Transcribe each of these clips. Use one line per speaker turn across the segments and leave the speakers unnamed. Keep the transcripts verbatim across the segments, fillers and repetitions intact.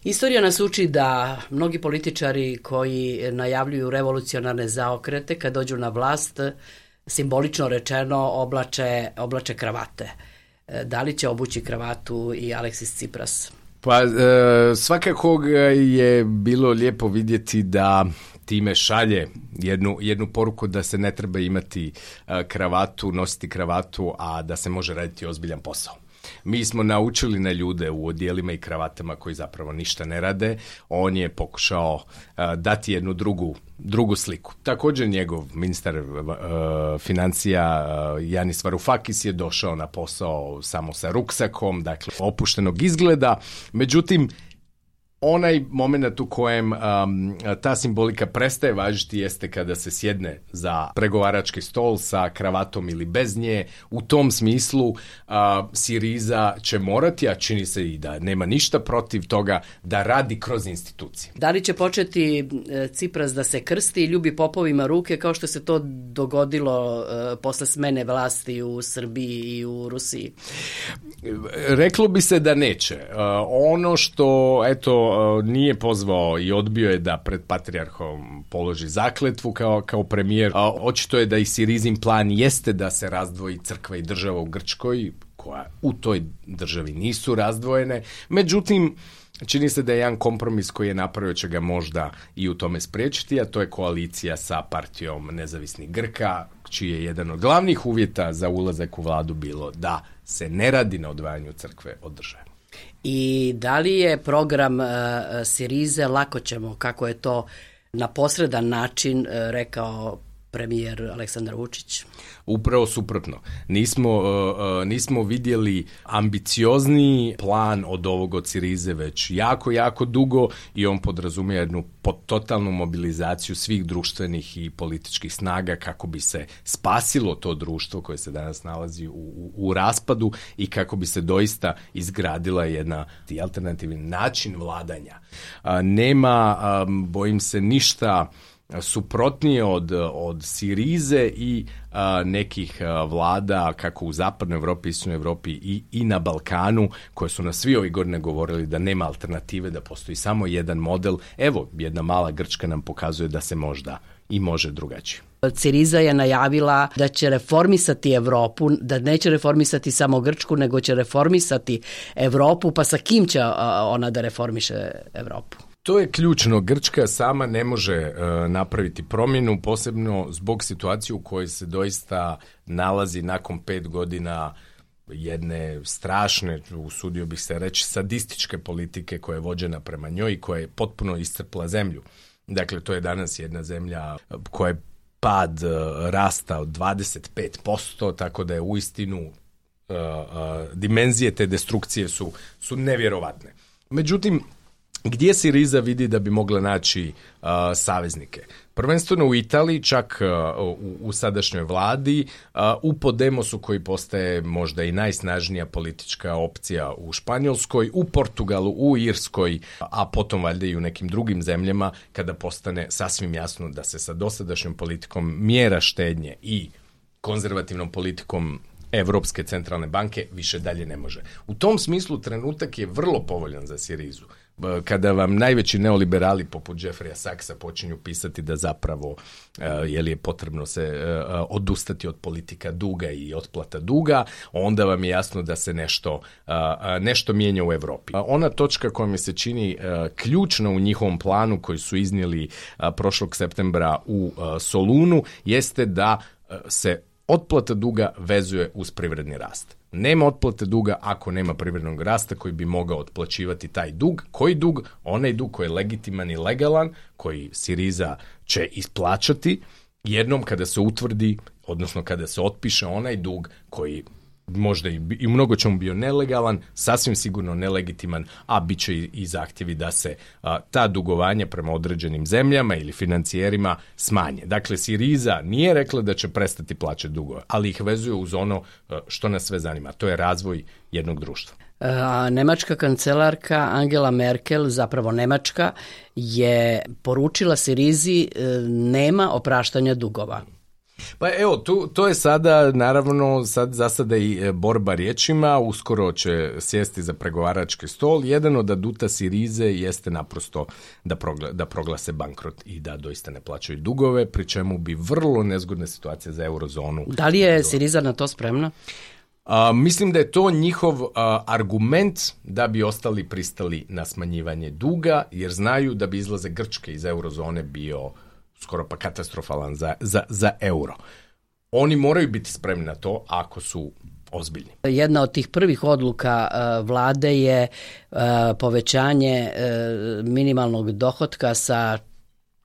Istorija nas uči da mnogi političari koji najavljuju revolucionarne zaokrete kad dođu na vlast, simbolično rečeno oblače, oblače kravate. Da li će obući kravatu i Aleksis Tsipras?
Pa e, svakako je bilo lijepo vidjeti da time šalje jednu, jednu poruku da se ne treba imati e, kravatu, nositi kravatu, a da se može raditi ozbiljan posao. Mi smo naučili na ljude u odijelima i kravatama koji zapravo ništa ne rade. On je pokušao uh, dati jednu drugu, drugu sliku. Također njegov ministar uh, financija uh, Yanis Varoufakis je došao na posao samo sa ruksakom, dakle opuštenog izgleda. Međutim, onaj moment u kojem um, ta simbolika prestaje važiti jeste kada se sjedne za pregovarački stol sa kravatom ili bez nje. U tom smislu uh, Siriza će morati, a čini se i da nema ništa protiv toga, da radi kroz institucije.
Da li će početi Tsipras da se krsti i ljubi popovima ruke kao što se to dogodilo uh, posle smene vlasti u Srbiji i u Rusiji?
Reklo bi se da neće. Uh, ono što, eto, nije pozvao i odbio je da pred patrijarhom položi zakletvu kao, kao premijer. A očito je da i Sirizin plan jeste da se razdvoji crkva i država u Grčkoj, koja u toj državi nisu razdvojene. Međutim, čini se da je jedan kompromis koji je napravio će ga možda i u tome spriječiti, a to je koalicija sa partijom nezavisnih Grka, čiji je jedan od glavnih uvjeta za ulazak u vladu bilo da se ne radi na odvajanju crkve od države.
I da li je program uh, Sirize, lako ćemo, kako je to na posredan način uh, rekao premijer Aleksandar Vučić?
Upravo suprotno. Nismo, uh, nismo vidjeli ambiciozniji plan od ovog od Sirize već jako, jako dugo i on podrazumije jednu totalnu mobilizaciju svih društvenih i političkih snaga kako bi se spasilo to društvo koje se danas nalazi u, u, u raspadu i kako bi se doista izgradila jedna alternativni način vladanja. Uh, nema, um, bojim se, ništa suprotnije od, od Sirize i a, nekih a, vlada kako u zapadnoj Evropi, istočnoj Evropi i, i na Balkanu, koje su nas svi ovih godine govorili da nema alternative, da postoji samo jedan model. Evo, jedna mala Grčka nam pokazuje da se možda i može drugačije.
Siriza je najavila da će reformisati Evropu, da neće reformisati samo Grčku, nego će reformisati Evropu, pa sa kim će a, ona da reformiše Evropu?
To je ključno. Grčka sama ne može uh, napraviti promjenu, posebno zbog situacije u kojoj se doista nalazi nakon pet godina jedne strašne, usudio bih se reći, sadističke politike koja je vođena prema njoj i koja je potpuno iscrpla zemlju. Dakle, to je danas jedna zemlja koja je pad uh, rasta od dvadeset pet posto, tako da je uistinu uh, uh, dimenzije te destrukcije su, su nevjerovatne. Međutim, gdje Siriza vidi da bi mogla naći uh, saveznike? Prvenstveno u Italiji, čak uh, u, u sadašnjoj vladi, uh, u Podemosu koji postaje možda i najsnažnija politička opcija u Španjolskoj, u Portugalu, u Irskoj, a potom valjda i u nekim drugim zemljama kada postane sasvim jasno da se sa dosadašnjom politikom mjera štednje i konzervativnom politikom Evropske centralne banke više dalje ne može. U tom smislu trenutak je vrlo povoljan za Sirizu. Kada vam najveći neoliberali poput Jeffreya Sachsa počinju pisati da zapravo uh, je li je potrebno se uh, odustati od politika duga i otplata duga, onda vam je jasno da se nešto, uh, nešto mijenja u Europi. Uh, ona točka koja mi se čini uh, ključna u njihovom planu koji su iznijeli uh, prošlog septembra u uh, Solunu jeste da uh, se otplata duga vezuje uz privredni rast. Nema otplate duga ako nema privrednog rasta koji bi mogao otplaćivati taj dug. Koji dug? Onaj dug koji je legitiman i legalan, koji Siriza će isplaćati jednom kada se utvrdi, odnosno kada se otpiše onaj dug koji možda i, i mnogo čemu bio nelegalan, sasvim sigurno nelegitiman, a bit će i, i zahtjevi da se a, ta dugovanja prema određenim zemljama ili financijerima smanje. Dakle, Siriza nije rekla da će prestati plaćati dugove, ali ih vezuje uz ono a, što nas sve zanima, to je razvoj jednog društva.
A, nemačka kancelarka Angela Merkel, zapravo Nemačka, je poručila Sirizi e, nema opraštanja dugova.
Pa evo, tu, to je sada, naravno, sad za sada i borba riječima, uskoro će sjesti za pregovarački stol. Jedan od aduta Sirize jeste naprosto da, progla, da proglase bankrot i da doista ne plaćaju dugove, pri čemu bi vrlo nezgodna situacija za eurozonu.
Da li je Siriza na to spremna?
A, mislim da je to njihov a, argument da bi ostali pristali na smanjivanje duga, jer znaju da bi izlaze Grčke iz eurozone bio skoro pa katastrofalan za, za, za euro. Oni moraju biti spremni na to ako su ozbiljni. Jedna
od tih prvih odluka uh, vlade je uh, povećanje uh, minimalnog dohotka sa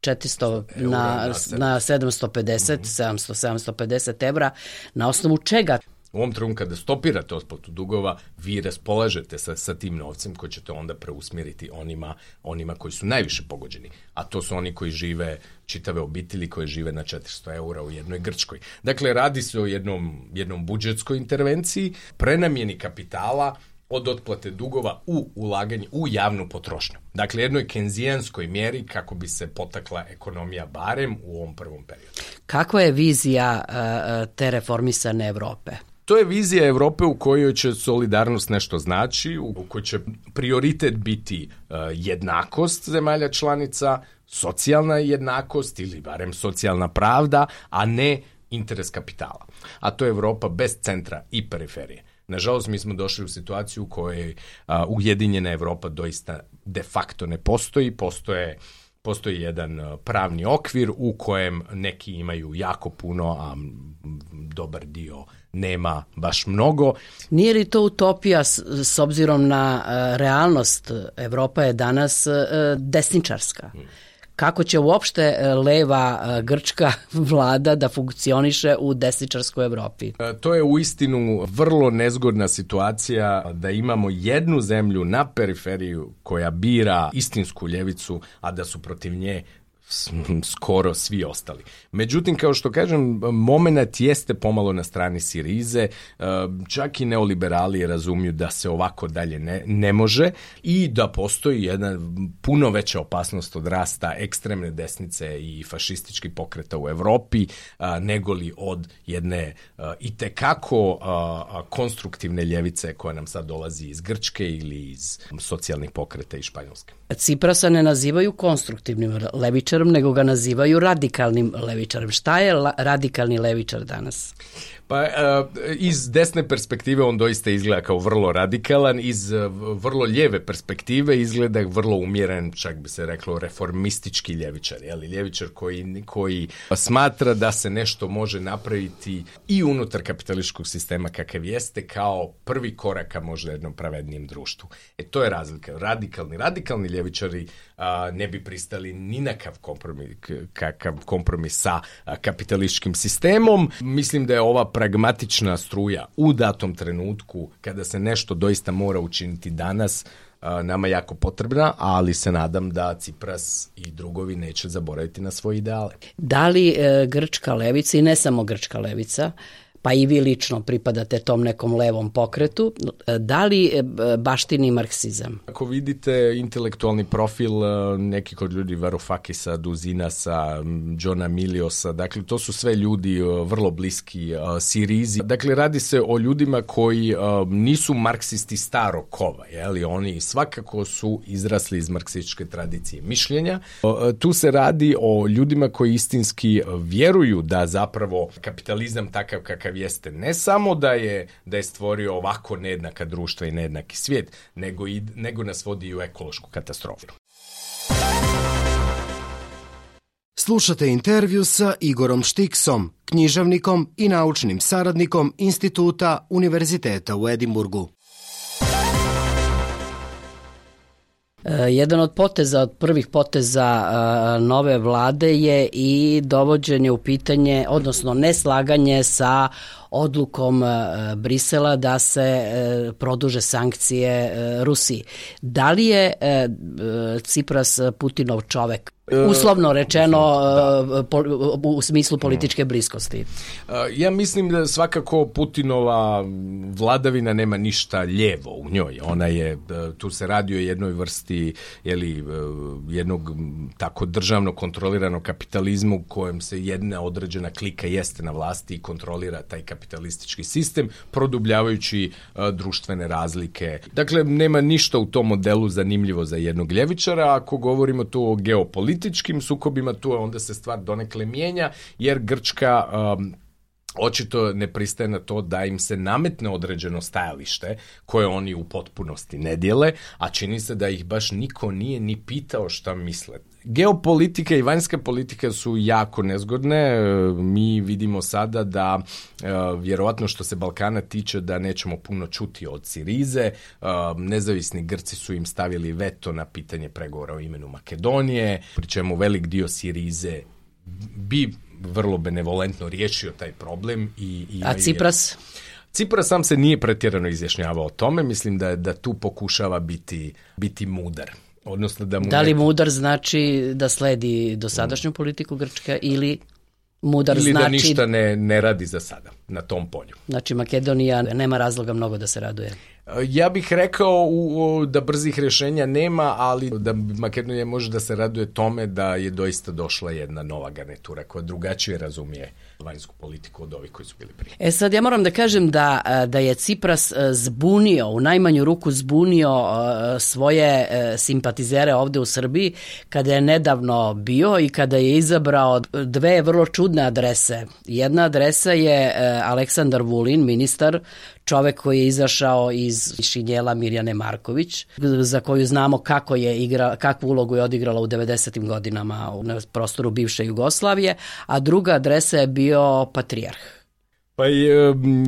četiristo na, na, na sedamsto pedeset, mm-hmm. sedamsto, sedamsto pedeset evra. Na osnovu čega?
U ovom trenutku kada stopirate otplatu dugova, vi raspolažete sa, sa tim novcem koji ćete onda preusmjeriti onima, onima koji su najviše pogođeni. A to su oni koji žive, čitave obitelji koje žive na četiristo eura u jednoj Grčkoj. Dakle, radi se o jednom, jednom budžetskoj intervenciji, prenamjeni kapitala od otplate dugova u ulaganje u javnu potrošnju. Dakle, jednoj kenzijanskoj mjeri kako bi se potakla ekonomija barem u ovom prvom periodu.
Kakva je vizija uh, te reformisane Europe?
To je vizija Europe u kojoj će solidarnost nešto znači, u kojoj će prioritet biti uh, jednakost zemalja članica, socijalna jednakost ili barem socijalna pravda, a ne interes kapitala. A to je Europa bez centra i periferije. Nažalost, mi smo došli u situaciju u kojoj uh, Ujedinjena Europa doista de facto ne postoji. Postoje, postoji jedan uh, pravni okvir u kojem neki imaju jako puno, a dobar dio nema baš mnogo.
Nije li to utopija s, s obzirom na uh, realnost? Evropa je danas uh, desničarska. Hmm. Kako će uopšte leva grčka vlada da funkcioniše u desničarskoj Evropi?
To je uistinu vrlo nezgodna situacija da imamo jednu zemlju na periferiju koja bira istinsku ljevicu, a da su protiv nje skoro svi ostali. Međutim, kao što kažem, moment jeste pomalo na strani Sirize, čak i neoliberali razumiju da se ovako dalje ne, ne može i da postoji jedna puno veća opasnost od rasta ekstremne desnice i fašističkih pokreta u Europi nego li od jedne itekako konstruktivne ljevice koja nam sad dolazi iz Grčke ili iz socijalnih pokreta iz Španjolske.
Ciprasa ne nazivaju konstruktivnim levičarom, nego ga nazivaju radikalnim levičarem. Šta je la- radikalni levičar danas?
Pa iz desne perspektive on doista izgleda kao vrlo radikalan, iz vrlo lijeve perspektive izgleda vrlo umjeren, čak bi se reklo reformistički ljevičar, jeli? Ljevičar koji, koji smatra da se nešto može napraviti i unutar kapitalističkog sistema kakav jeste kao prvi korak ka možda jednom pravednijem društvu. E to je razlika. Radikalni, radikalni ljevičari a, ne bi pristali ni na kakav kompromis, kakav kompromis sa a, kapitalističkim sistemom. Mislim da je ova pragmatična struja u datom trenutku kada se nešto doista mora učiniti danas nama jako potrebna, ali se nadam da Cipras i drugovi neće zaboraviti na svoje ideale.
Da li e, grčka levica i ne samo grčka levica, pa i vi lično pripadate tom nekom levom pokretu, da li baštini marksizam?
Ako vidite intelektualni profil nekih od ljudi, Varoufakisa, Duzinasa, Johna Miliosa, dakle to su sve ljudi vrlo bliski Sirizi. Dakle, radi se o ljudima koji nisu marksisti starog kova, jeli? Oni svakako su izrasli iz marksističke tradicije mišljenja. Tu se radi o ljudima koji istinski vjeruju da zapravo kapitalizam takav kakav jeste ne samo da je, da je stvorio ovako nejednaka društva i nejednaki svijet, nego, i, nego nas vodi u ekološku katastrofu.
Slušate intervju sa Igorom Štiksom, književnikom i naučnim saradnikom Instituta Univerziteta u Edinburgu.
Jedan od poteza, od prvih poteza uh, nove vlade je i dovođenje u pitanje, odnosno neslaganje sa odlukom Brisela da se produže sankcije Rusiji. Da li je Cipras Putinov čovek? Uslovno rečeno, da. po, u smislu političke bliskosti.
Ja mislim da svakako Putinova vladavina nema ništa lijevo u njoj. Ona je, tu se radi o jednoj vrsti jeli, jednog tako državno kontroliranog kapitalizmu kojem se jedna određena klika jeste na vlasti i kontrolira taj kapitalistički sistem, produbljavajući društvene razlike. Dakle, nema ništa u tom modelu zanimljivo za jednog ljevičara. Ako govorimo tu o geopolitici, političkim sukobima, tu onda se stvar donekle mijenja, jer Grčka um, očito ne pristaje na to da im se nametne određeno stajalište koje oni u potpunosti ne dijele, a čini se da ih baš niko nije ni pitao šta misle. Geopolitika i vanjska politika su jako nezgodne. Mi vidimo sada da vjerovatno što se Balkana tiče da nećemo puno čuti od Sirize. Nezavisni Grci su im stavili veto na pitanje pregovora o imenu Makedonije, pri čemu velik dio Sirize bi vrlo benevolentno riješio taj problem. I, i
A Cipras?
Cipras sam se nije pretjerano izjašnjavao o tome. Mislim da, da tu pokušava biti, biti mudar. Odnosno da, mu
da li mudar znači da sledi dosadašnju politiku Grčke ili mudar
ili
znači...
da ništa ne, ne radi za sada na tom polju?
Znači Makedonija nema razloga mnogo da se raduje.
Ja bih rekao u, u, da brzih rješenja nema, ali da Makedonija može da se raduje tome da je doista došla jedna nova garnitura koja drugačije razumije vanjsku politiku od ovih koji su bili prije.
E sad ja moram da kažem da, da je Cipras zbunio, u najmanju ruku zbunio svoje simpatizere ovde u Srbiji kada je nedavno bio i kada je izabrao dve vrlo čudne adrese. Jedna adresa je Aleksandar Vulin, ministar, čovek koji je izašao iz šinjela Mirjane Marković, za koju znamo kako je igra, kakvu ulogu je odigrala u devedesetim godinama na prostoru bivše Jugoslavije, a druga adresa je bio Patrijarh.
Pa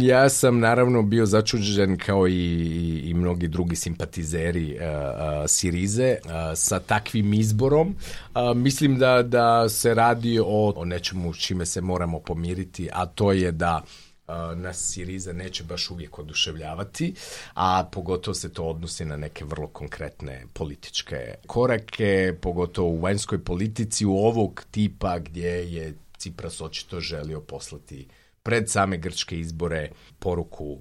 ja sam naravno bio začuđen kao i, i mnogi drugi simpatizeri uh, uh, Sirize uh, sa takvim izborom. Uh, mislim da, da se radi o, o nečemu čime se moramo pomiriti, a to je da nas Siriza neće baš uvijek oduševljavati, a pogotovo se to odnosi na neke vrlo konkretne političke korake, pogotovo u vanjskoj politici u ovog tipa gdje je Cipras očito želio poslati pred same grčke izbore poruku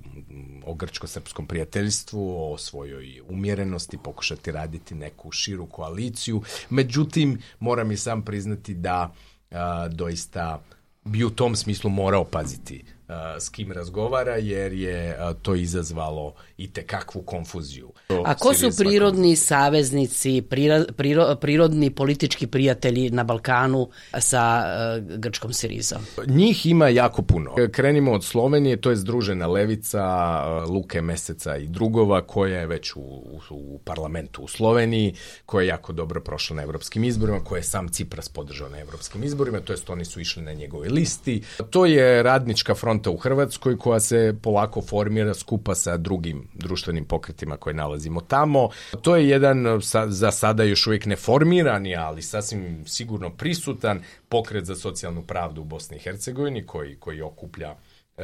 o grčko-srpskom prijateljstvu, o svojoj umjerenosti, pokušati raditi neku širu koaliciju. Međutim, moram i sam priznati da a, doista bi u tom smislu morao paziti s kim razgovara, jer je to izazvalo i tekakvu konfuziju.
A ko su prirodni saveznici, prira, priro, prirodni politički prijatelji na Balkanu sa uh, grčkom Sirizom?
Njih ima jako puno. Krenimo od Slovenije, to je Združena levica Luke Meseca i drugova, koja je već u, u, u parlamentu u Sloveniji, koja je jako dobro prošla na evropskim izborima, koja je sam Cipras podržao na evropskim izborima, to jest oni su išli na njegove listi. To je Radnička fronta u Hrvatskoj koja se polako formira skupa sa drugim društvenim pokretima koje nalazimo tamo. To je jedan za sada još uvijek neformirani, ali sasvim sigurno prisutan pokret za socijalnu pravdu u Bosni i Hercegovini koji, koji okuplja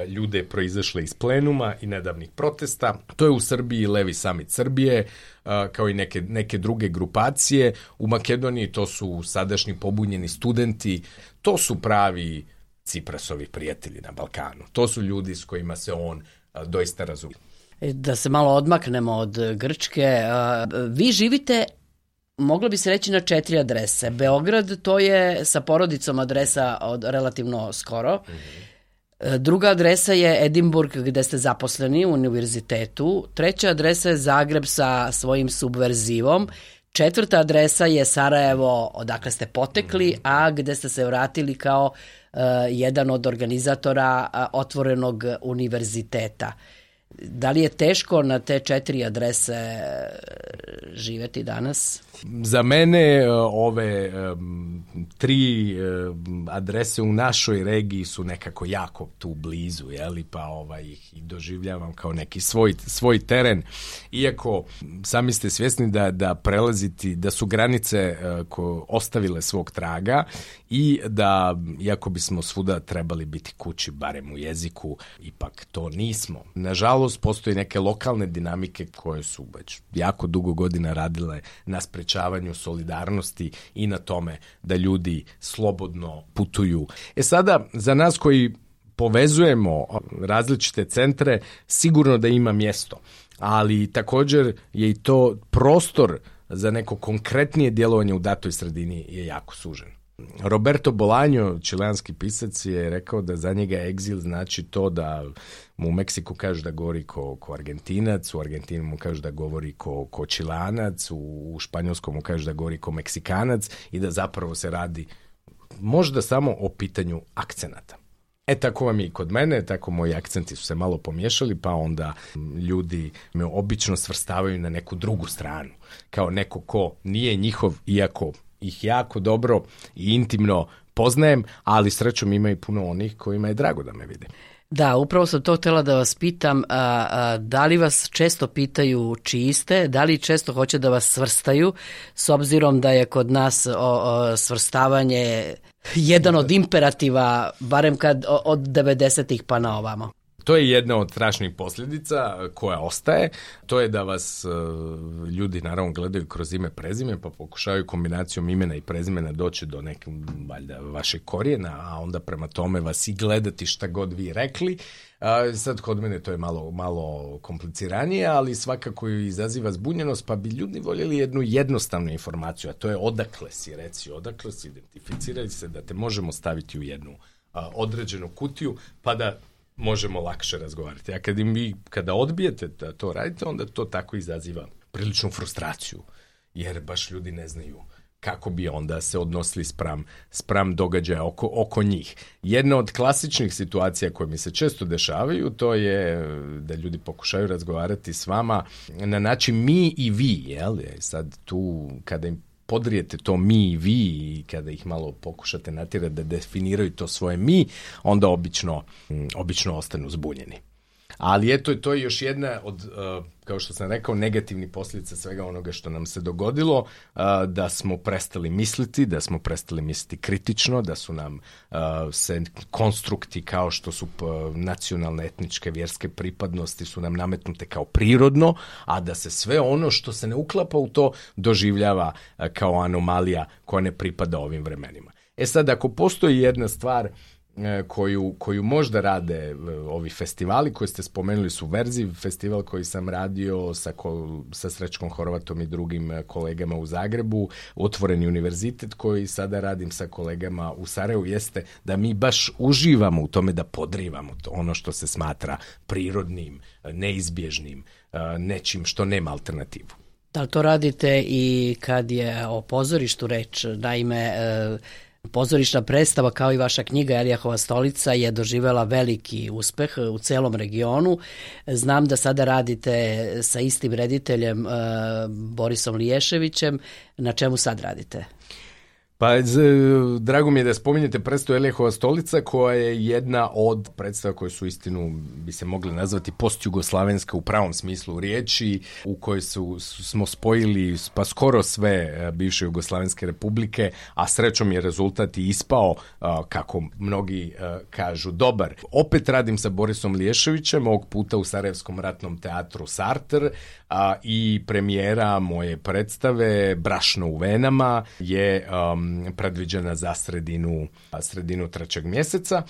ljude proizašle iz plenuma i nedavnih protesta. To je u Srbiji Levi samit Srbije, kao i neke, neke druge grupacije. U Makedoniji to su sadašnji pobunjeni studenti. To su pravi Ciprasovi prijatelji na Balkanu. To su ljudi s kojima se on a, doista razumije.
Da se malo odmaknemo od Grčke. A, vi živite, moglo bi se reći, na četiri adrese. Beograd, to je sa porodicom adresa od relativno skoro. Mm-hmm. Druga adresa je Edinburg gde ste zaposleni u univerzitetu. Treća adresa je Zagreb sa svojim subverzivom. Četvrta adresa je Sarajevo, odakle ste potekli, a gde ste se vratili kao uh, jedan od organizatora uh, otvorenog univerziteta. Da li je teško na te četiri adrese živeti danas?
Za mene ove um, tri um, adrese u našoj regiji su nekako jako tu blizu, jeli, pa ovaj, ih i doživljavam kao neki svoj, svoj teren. Iako sami ste svjesni da, da prelaziti, da su granice uh, ko ostavile svog traga i da, iako bismo svuda trebali biti kući, barem u jeziku, ipak to nismo. Nažalost, postoji neke lokalne dinamike koje su već jako dugo godina radile na sprečavanju solidarnosti i na tome da ljudi slobodno putuju. E sada, za nas koji povezujemo različite centre, sigurno da ima mjesto, ali također je i to prostor za neko konkretnije djelovanje u datoj sredini je jako sužen. Roberto Bolaño, čileanski pisac, je rekao da za njega egzil znači to da mu u Meksiku kažu da govori ko, ko Argentinac, u Argentini mu kažu da govori ko, ko Čilanac, u, u Španjolskom mu kažu da govori ko Meksikanac i da zapravo se radi možda samo o pitanju akcenata. E tako vam je i kod mene, tako moji akcenti su se malo pomiješali, pa onda ljudi me obično svrstavaju na neku drugu stranu, kao neko ko nije njihov, iako ih jako dobro i intimno poznajem, ali srećom ima i puno onih kojima je drago da me vide.
Da, upravo sam to htjela da vas pitam, a, a, da li vas često pitaju čiji ste, da li često hoće da vas svrstaju, s obzirom da je kod nas o, o, svrstavanje jedan od imperativa, barem kad od devedesetih pa na ovamo.
To je jedna od strašnih posljedica koja ostaje, to je da vas uh, ljudi naravno gledaju kroz ime prezime, pa pokušavaju kombinacijom imena i prezimena doći do nekog valjda vašeg korijena, a onda prema tome vas i gledati šta god vi rekli. Uh, sad kod mene to je malo, malo kompliciranije, ali svakako izaziva zbunjenost, pa bi ljudi voljeli jednu jednostavnu informaciju, a to je odakle si, reci odakle si, identificiraj se, da te možemo staviti u jednu uh, određenu kutiju, pa da možemo lakše razgovarati. A kad im vi, kada odbijete da to radite, onda to tako izaziva priličnu frustraciju, jer baš ljudi ne znaju kako bi onda se odnosili spram, spram događaja oko, oko njih. Jedna od klasičnih situacija koje mi se često dešavaju, to je da ljudi pokušaju razgovarati s vama na način mi i vi, jel? Sad tu, kada im podrijete to mi i vi i kada ih malo pokušate natjerati da definiraju to svoje mi, onda obično, obično ostanu zbunjeni. Ali eto, to je još jedna od, uh, kao što sam rekao, negativnih posljedica svega onoga što nam se dogodilo, uh, da smo prestali misliti, da smo prestali misliti kritično, da su nam uh, se konstrukti kao što su uh, nacionalne, etničke, vjerske pripadnosti su nam nametnute kao prirodno, a da se sve ono što se ne uklapa u to doživljava uh, kao anomalija koja ne pripada ovim vremenima. E sad, ako postoji jedna stvar Koju, koju možda rade ovi festivali koji ste spomenuli su Verziv, festival koji sam radio sa, ko, sa Srećkom Horvatom i drugim kolegama u Zagrebu, Otvoreni univerzitet koji sada radim sa kolegama u Sarajevu, jeste da mi baš uživamo u tome da podrivamo to, ono što se smatra prirodnim, neizbježnim, nečim što nema alternativu.
Da li to radite i kad je o pozorištu reč? Naime, pozorišna predstava kao i vaša knjiga Elijahova stolica je doživjela veliki uspeh u celom regionu. Znam da sada radite sa istim rediteljem uh, Borisom Liješevićem. Na čemu sad radite?
Pa, z, drago mi je da spominjete predstavu Elijahova stolica, koja je jedna od predstava koje su istinu bi se mogli nazvati postjugoslavenska u pravom smislu riječi, u kojoj su, su, smo spojili pa skoro sve bivše jugoslavenske republike, a srećom je rezultat i ispao, kako mnogi kažu, dobar. Opet radim sa Borisom Liješevićem, ovog puta u Sarajevskom ratnom teatru Sartr, a, i premijera moje predstave Brašno u venama je um, predviđena za sredinu, sredinu trećeg mjeseca.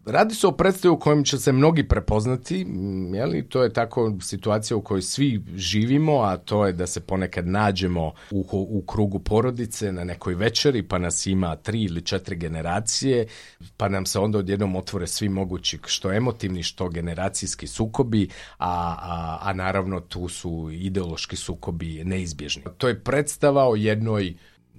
Radi se o predstavi u kojem će se mnogi prepoznati, jeli? To je tako situacija u kojoj svi živimo, a to je da se ponekad nađemo u, u krugu porodice na nekoj večeri, pa nas ima tri ili četiri generacije, pa nam se onda odjednom otvore svi mogući što emotivni, što generacijski sukobi, a, a, a naravno tu su ideološki sukobi neizbježni. To je predstava o jednoj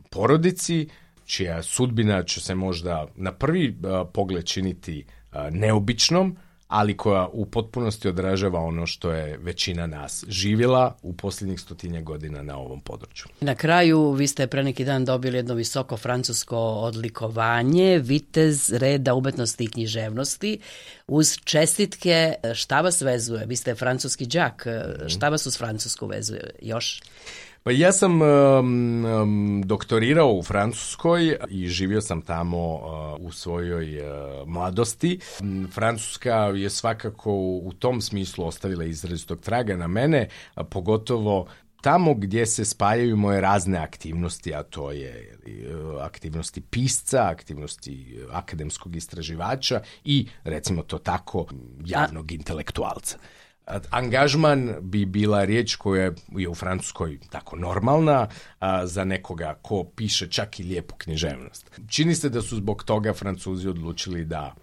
porodici čija sudbina će se možda na prvi uh, pogled činiti uh, neobičnom, ali koja u potpunosti odražava ono što je većina nas živjela u posljednjih stotinja godina na ovom području.
Na kraju, vi ste pre neki dan dobili jedno visoko francusko odlikovanje, vitez reda umetnosti i književnosti, uz čestitke. Šta vas vezuje? Vi ste francuski đak, šta vas uz Francusku vezuje još?
Pa ja sam um, um, doktorirao u Francuskoj i živio sam tamo uh, u svojoj uh, mladosti. Francuska je svakako u tom smislu ostavila izrazitog traga na mene, a pogotovo tamo gdje se spajaju moje razne aktivnosti, a to je aktivnosti pisca, aktivnosti akademskog istraživača i, recimo to tako, javnog intelektualca. Angažman bi bila riječ koja je u Francuskoj tako normalna a, za nekoga ko piše čak i lijepu književnost. Čini se da su zbog toga Francuzi odlučili da,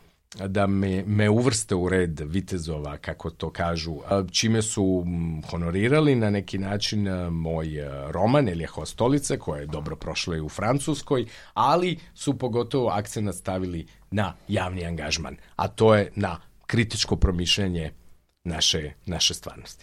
da me, me uvrste u red vitezova, kako to kažu, a, čime su honorirali na neki način a, moj roman Elijahova stolica, koja je dobro prošla i u Francuskoj, ali su pogotovo akcent stavili na javni angažman, a to je na kritičko promišljanje naše, naše stvarnosti.